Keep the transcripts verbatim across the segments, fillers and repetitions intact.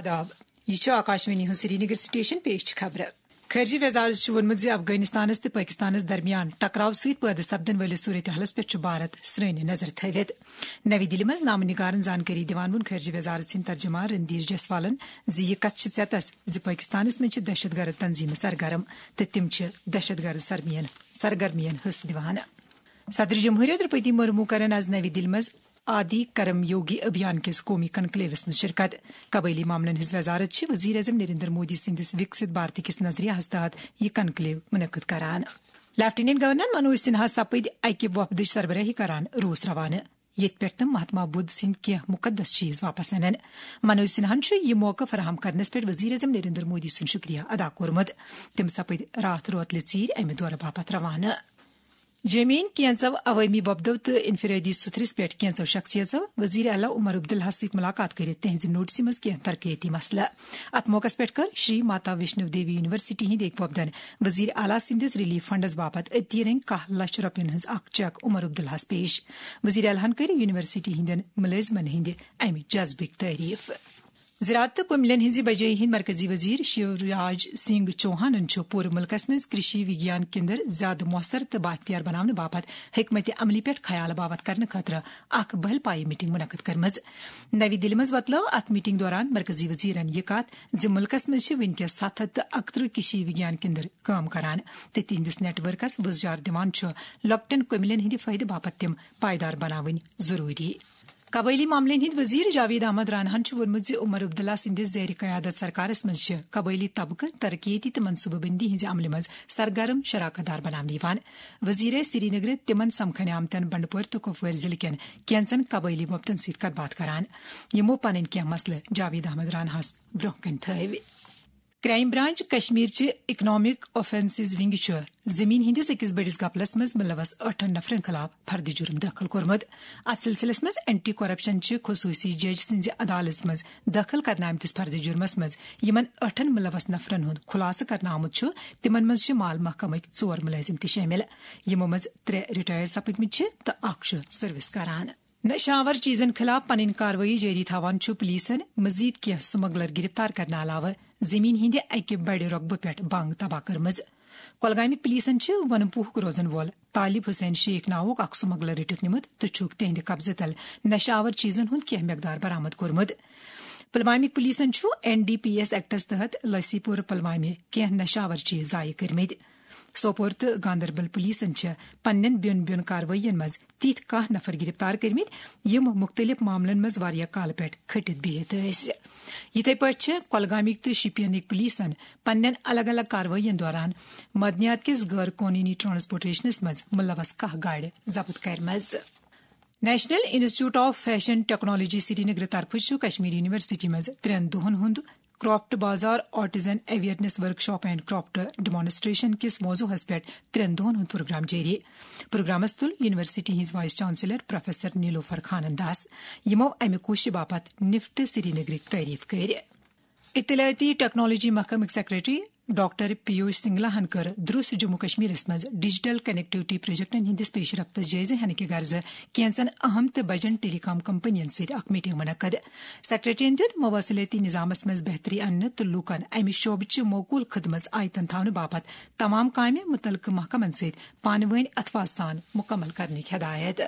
آداب۔ یہِ چھُ آکاشوانی ہُنٛد سرینگر سٹیشن، پیش چھِ خبرٕ۔ خارجہ وزارت چھُ ووٚنمُت زِ افغانستانس تہٕ پٲکستانس درمیان ٹکراو سۭتۍ پٲدٕ سپدن وٲلِس صورتحالس پٮ۪ٹھ چھُ بھارت سرٛنۍ نظر تھٲوِتھ۔ نَوِ دِلہِ منٛز نامہٕ نِگارن زانکٲری دِوان ووٚن خارجہ وزارت سٕنٛدۍ ترجمان رندھیر جیسوالن زِ یہِ کتھ چھِ ژٮ۪تس زِ پٲکستانس منٛز چھِ دہشت گرد تنظیمہٕ سرگرم تہٕ تِم چھِ دہشت گرد سرمین-، سرگرمین حصہٕ دِوان۔ صدر جمہوریہ درپتی مرمو کرن آز نَوِ دِلہِ منٛز آدی کرم یوگی ابھیان کِس قومی کنکلیوس منٛز شرکت۔ قبٲیلی معاملن ہٕنٛز وزارت چھِ وزیر اعظم نریندر مودی سٕنٛدِس وکسِت بھارتہٕ کِس نظریہس تحت یہِ کنکلیو منعقد کران۔ لیفٹیننٹ گورنر منوج سنہا سپٕدۍ اکہِ وفدٕچ سربراہی کران روس روانہٕ، ییٚتہِ پٮ۪ٹھ تِم مہاتما بدھ سٕنٛدۍ کینٛہہ مقدس چیز واپس انن۔ منوج سنہاہن چھُ یہِ موقعہٕ فراہم کرنس پٮ۪ٹھ وزیر اعظم نریندر مودی سُنٛد شکریہ ادا کوٚرمُت۔ تِم سپٕدۍ راتھ روتلہِ ژیٖرۍ امہِ دورٕ باپتھ روانہٕ۔ جیمین کینژو عوٲمی وۄپدو تہٕ انفرادی سُتھرِس پٮ۪ٹھ کینژو شخصیژو وزیر اعلیٰ عمر عبداللہ سۭتۍ ملاقات کٔرِتھ تِہنزِ نوٹسہِ منٛز کینٛہہ ترقیتی مسلہٕ۔ اتھ موقعس پٮ۪ٹھ کٔر شری ماتا ویشنو دیوی یونیورسٹی ہٕنٛدۍ أکۍ وۄپدن وزیر اعلیٰ سٕنٛدِس ریلیف فنڈس باپتھ عطیہ رنگ کاہ لچھ رۄپین ہٕنٛز اکھ چیک عمر عبداللہس پیش۔ وزیر اعلیٰ ہن کٔر یونیورسٹی ہٕنٛدٮ۪ن مُلٲزمن ہٕنٛدِ امہِ جذبٕکۍ تعریف۔ زراعت تہٕ کُملٮ۪ن ہٕنٛزِ بجٲیی ہٕنٛدۍ مرکزی وزیر شیوراج سنگھ چوہانن چھُ پوٗرٕ مُلکس منٛز کرشی وگیان کیندر زیادٕ مؤثر تہٕ بااختیار بناونہٕ باپتھ حکمت عملی پٮ۪ٹھ خیال باوتھ کرنہٕ خٲطرٕ اکھ بہل پایہِ میٹنگ منعقد کٔرمٕژ۔ نَوِ دِلہِ منٛز وۄتلٲو اتھ میٹنگ دوران مرکزی وزیرن یہِ کتھ زِ مُلکس منٛز چھِ وٕنکیٚس ستھ ہتھ تہٕ اکترٕہ کرشی وگیان کیندر کٲم کران تہٕ تِہنٛدِس نیٹ ورکس وُزجار دِوان چھُ لۄکٹٮ۪ن کُملٮ۪ن ہٕنٛدِ فٲیدٕ باپتھ تِم پائیدار بناوٕنۍ ضروٗری۔ قبٲیلی معاملن ہٕنٛدۍ وزیر جاوید احمد راناہن چھُ ووٚنمُت زِ عمر عبداللہ سٕنٛدِس زیر قیادت سرکارس منٛز چھِ قبٲیلی طبقہٕ ترقیتی تہٕ منصوبہٕ بندی ہٕنٛزِ عملہِ منٛز سرگرم شراکت دار بناونہٕ یِوان۔ وزیر سرینگر تِمن سمکھنہِ آمتٮ۪ن بنڈپور تہٕ کپوور ضلعہٕ کٮ۪ن کینژن قبٲیلی وۄپدن سۭتۍ کتھ باتھ کران، یِمو پنٕنۍ کینٛہہ مسلہٕ جاوید احمد راناہس برونٛہہ کنہِ تھٲوۍ۔ کرائم برانچ کشمیر چہِ اکنامک آفینسز ونگ چھُ زمین ہٕنٛدِس أکِس بٔڑِس گپلس منٛز ملوث ٲٹھن نفرن خلاف فرد جرم دٲخل کوٚرمُت۔ اتھ سلسلس منٛز اینٹی کرپشن چہِ خصوصی جج سٕنٛزِ عدالتس منٛز دٲخل کرنہٕ آمتِس فرد جرمس منٛز یِمن ٲٹھن ملوث نفرن ہُنٛد خلاصہٕ کرنہٕ آمُت چھُ، تِمن منٛز چھِ مال محکمٕکۍ ژور مُلٲزِم تہِ شٲمِل، یِمو منٛز ترٛےٚ ریٹائر سپٕدمٕتۍ چھِ تہٕ اکھ چھُ سروس کران۔ نشہٕ آور چیزن خلاف پنٕنۍ کاروٲیی جٲری تھاوان چھُ پولیسن مزید کینٛہہ سمگلر گرفتار کرنہٕ علاوٕ زمین ہٕنٛدِ اکہِ بڑِ رۄقبہٕ پٮ۪ٹھ بنگ تباہ کٔرمٕژ۔ کۄلگامٕکۍ پولیسن چھِ ونہٕ پوٗہُک روزن وول طالب حسین شیخ ناوُک اکھ سمگلر رٔٹِتھ نیوٗمُت تہٕ چھُکھ تِہنٛدِ قبضہٕ تل نشہٕ آور چیزن ہُنٛد کینٛہہ مقدار برآمد کوٚرمُت۔ پلوامٕکۍ پولیسن چھُ این ڈی پی ایس ایکٹس تحت لسی پور پلوامہِ کینٛہہ نشہٕ آور چیز ضایع کٔرمٕتۍ۔ سوپور تہٕ گاندربل پولیسن چھِ پننٮ۪ن بیوٚن بیوٚن کاروٲیین منٛز تِتھۍ کانٛہہ نفر گرفتار کٔرمٕتۍ، یِم مُختٔلِف معاملن منٛز واریاہ کالہٕ پٮ۪ٹھ کھٔٹِتھ بِہِتھ ٲسۍ۔ یِتھے پٲٹھۍ چھِ کۄلگامٕکۍ تہٕ شُپینٕکۍ پولیسن پننٮ۪ن الگ الگ کاروٲیین دوران معدنیات کِس غٲر قونوٗنی ٹرانسپورٹیشنس منٛز ملوث کاہ گاڑِ ضبط کٔرمٕژ۔ National institute of fashion technology Srinagar طرفہٕ چھُ کشمیر یونیورسٹی منٛز ترٛٮ۪ن دۄہن ہُنٛد کرافٹ بازار، artisan awareness workshop and craft demonstration کِس موضوعس پٮ۪ٹھ ترٛٮ۪ن دۄہن ہُنٛد پروگرام جٲری۔ پروگرامس تُل یونیورسٹی ہٕنٛز وائس چانسلر پروفیسر نیلوفر خانن داس، یِمو امہِ کوٗششہِ باپتھ نفٹ سرینگرٕکۍ تعریف کٔرۍ۔ اطلاعاتی ٹیکنالوجی محکمٕکۍ سیکرٹری ڈاکٹر پیوش سنگلا ہن کٔر دروس جموں کشمیرس منٛز ڈیجیٹل کنیکٹیوٹی پروجیکٹن ہٕنٛدِس پیش رفتس جٲیزٕ ہینہٕ کہِ غرضہٕ کینژن اہم تہٕ بجن ٹیلی کام کمپنین سۭتۍ اکھ میٹنگ منعقد۔ سیکرٹریَن دِیُت مواصلٲتی نظامس منٛز بہتری اننہٕ تہٕ لوٗکن امہِ شعبہٕ چہِ موکوٗل خدمژ آیتن تھاونہٕ باپتھ تمام کامہِ مُتعلقہٕ محکمن سۭتۍ پانہٕ وٲنۍ اتھوازٕ سان مُکمل کرنٕکۍ ہدایت۔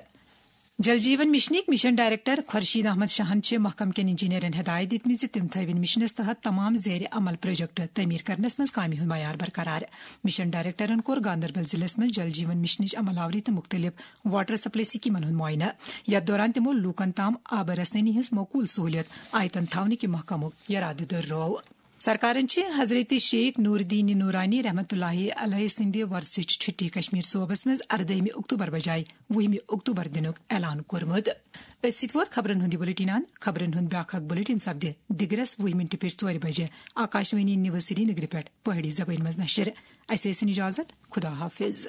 جل جیون مشنٕکۍ مشن ڈائریکٹر خورشید احمد شاہن چھِ محکمہٕ کٮ۪ن انجینئرن ہدایت دِژمٕژ زِ تِم تھٲوِن مشنس تحت تمام زیر عمل پروجیکٹ تعمیر کرنس منٛز کامہِ ہُنٛد معیار برقرار۔ مشن ڈائریکٹرن کوٚر گاندربل ضلعس منٛز جل جیون مشنٕچ عمل آوری تہٕ مختلف واٹر سپلائی سکیمن ہُنٛد معائنہٕ، یتھ دوران تِمو لوٗکن تام آبہٕ رسٲنی ہٕنٛز معقول سہولیت آیتن تھاونہٕ کہِ محکمُک یرادٕ دۄہرٲو۔ سرکارن چھِ حضرت شیخ نور الدین نورانی رحمتہ اللہ علیہ سٕنٛدِ وۄرثٕچ چھُٹی کشمیر صوبس منٛز اردٲہمہِ اکتوبر بجایہِ وُہمہِ اکتوبر دِنُک اعلان کوٚرمُت۔ أتھۍ سۭتۍ ووت خبرن ہُند یہِ بلیٹن اند۔ خبرن ہُند بیاکھ اکھ بلیٹن سپدِ دِگرس وُہہِ منٹہِ پٮ۪ٹھ ژورِ بجہِ آکاشوانی نیوز سرینگرٕ پٮ۪ٹھ پہٲڑی زبٲنۍ منٛز نشر۔ اسہِ ٲسِن اجازت۔ خدا حافظ۔